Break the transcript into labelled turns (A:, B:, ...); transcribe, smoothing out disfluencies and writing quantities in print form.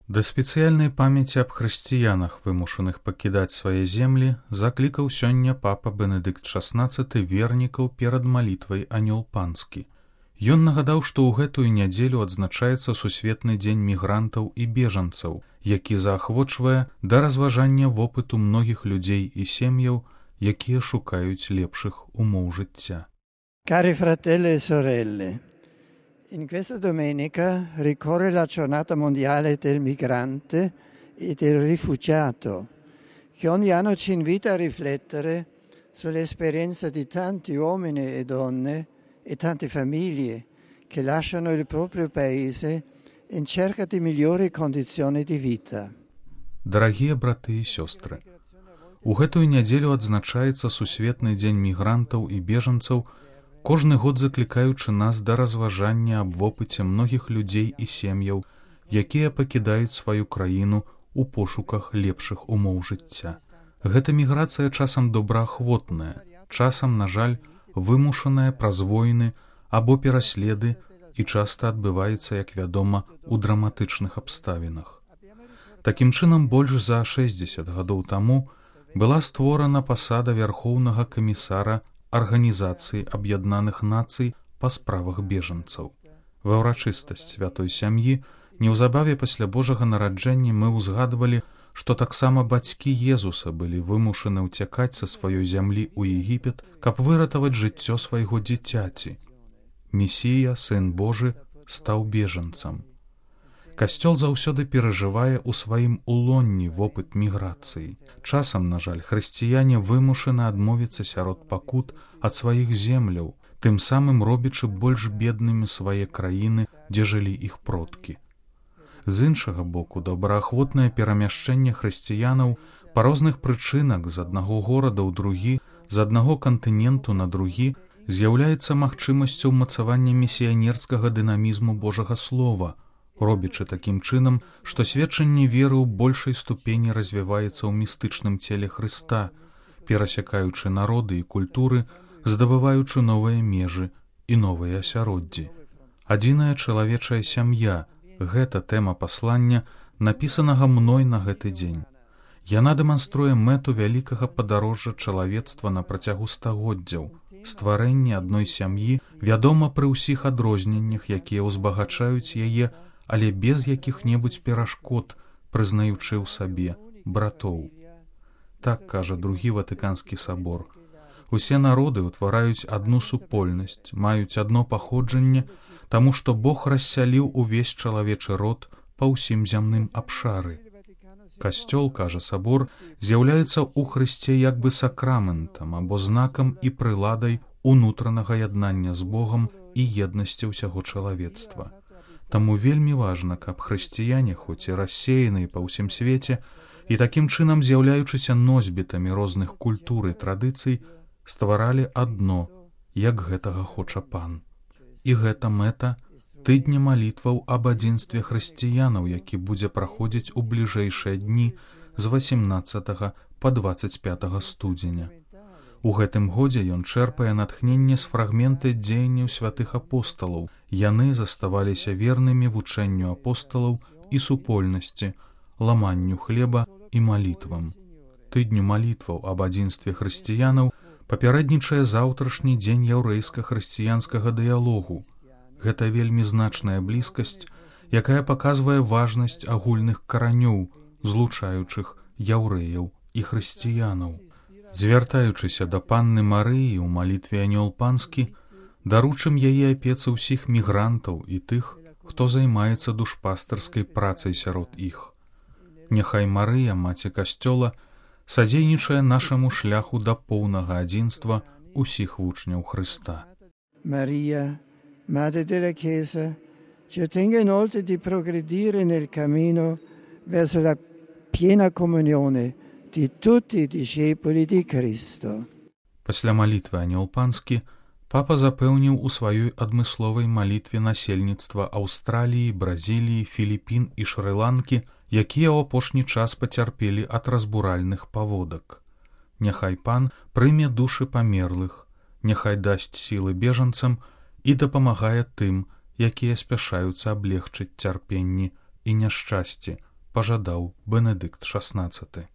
A: Да спецыяльнай памяці аб хрысціянах, вымушаных пакідаць свае землі, заклікаў сёння папа Бенедыкт XVI вернікаў перад малітвай Анёл Панскі. Ён нагадаў, што ў гэтую нядзелю адзначаецца Сусветны дзень мігрантаў і бежанцаў, які заахвочвае да разважання вопыту многіх людзей і сем'яў, якія шукаюць лепшых умоў жыцця.
B: Cari fratelli e sorelle, in questa domenica ricorre la giornata mondiale del migrante e del rifugiato, che ogni anno ci invita a riflettere sull'esperienza di tanti uomini e donne e tante famiglie che lasciano il proprio paese in cerca di migliori condizioni di vita.
A: Дарагія браты і сёстры, у гэтую нядзелю адзначаецца Сусветны дзень мігрантаў і бежанцаў, кожны год заклікаючы нас да разважання аб вопыце многіх людзей і сем'яў, якія пакідаюць сваю краіну ў пошуках лепшых умоў жыцця. Гэта міграцыя часам добраахвотная, часам, на жаль, вымушаная праз войны або пераследы і часта адбываецца, як вядома, у драматычных абставінах. Такім чынам, больш за 60 гадоў таму была створана пасада Вярхоўнага камісара Арганізацыі Аб'яднаных Нацый па справах бежанцаў. Ва ўрачыстасць святой сям'і неўзабаве пасля Божага нараджэння мы ўзгадвалі, што таксама бацькі Езуса былі вымушаны ўцякаць са сваёй зямлі ў Егіпет, каб выратаваць жыццё свайго дзіцяці. Месія, Сын Божы, стаў бежанцам. Касцёл заўсёды перажывае ў сваім улонні вопыт міграцыі. Часам, на жаль, хрысціяне вымушаны адмовіцца сярод пакут ад сваіх земляў, тым самым робячы больш беднымі свае краіны, дзе жылі іх продкі. З іншага боку, добраахвотнае перамяшчэнне хрысціянаў па розных прычынах з аднаго горада ў другі, з аднаго кантыненту на другі з'яўляецца магчымасцю ўмацавання місіянерскага дынамізму Божага Слова, робячы такім чынам, што сведчанне веры ў большай ступені развіваецца ў містычным целе Хрыста, перасякаючы народы і культуры, здабываючы новыя межы і новыя асяроддзі. Адзіная чалавечая сям'я – гэта тэма паслання, напісанага мной на гэты дзень. Яна дэманструе мэту вялікага падарожжа чалавецтва на працягу стагоддзяў. Стварэнне адной сям'і вядома пры ўсіх адрозненнях, якія ўзбагачаюць яе, але без якіх-небудзь перашкод, прызнаючы ў сабе братоў. Так кажа другі Ватыканскі сабор. Усе народы ўтвараюць адну супольнасць, маюць адно паходжанне, таму што Бог рассяліў увесь чалавечы род па ўсім зямным абшары. Касцёл, кажа сабор, з'яўляецца ў Хрысце як бы сакраментам або знакам і прыладай унутранага яднання з Богам і еднасці ўсяго чалавецтва. Таму вельмі важна, каб хрысціяне, хоць і рассеяныя па ўсім свеце, і такім чынам з'яўляючыся носьбітамі розных культур і традыцый, стваралі адно, як гэтага хоча Пан. І гэта мэта тыдня малітваў аб адзінстве хрысціянаў, які будзе праходзіць у бліжэйшыя дні з 18 па 25 студзеня. У гэтым годзе ён чэрпае натхненне з фрагменты дзеянняў святых апосталаў. Яны заставаліся вернымі вучэнню апосталаў і супольнасці, ламанню хлеба і малітвам. Тыдню малітваў аб адзінстве хрысціянаў папярэднічае заўтрашні дзень яўрэйска-хрысціянскага дыялогу. Гэта вельмі значная блізкасць, якая паказвае важнасць агульных каранёў, злучаючых яўрэяў і хрысціянаў. Звяртаючыся да Панны Марыі ў малітве Анёл Панскі, даручым яе апецы ўсіх мігрантаў і тых, хто займаецца душпастарскай працай сярод іх. Няхай Марыя, маці Касцёла, садзейнічае нашаму шляху да поўнага адзінства ўсіх вучняў Хрыста.
B: Maria, Madre della Chiesa, ci ottenga inoltre di progredire nel cammino verso la piena comunione di tutti i discepoli di Cristo.
A: Пасля малітвы Анёл Панскі папа запэўніў у сваёй адмысловай малітве насельніцтва Аўстраліі, Бразіліі, Філіпін і Шры-Ланкі, якія ў апошні час пацярпелі ад разбуральных паводак. Няхай Пан прыме душы памерлых, няхай дасць сілы бежанцам і дапамагае тым, якія спяшаюцца аблегчыць цярпенні і няшчасці пажадаў Бенедыкт XVI.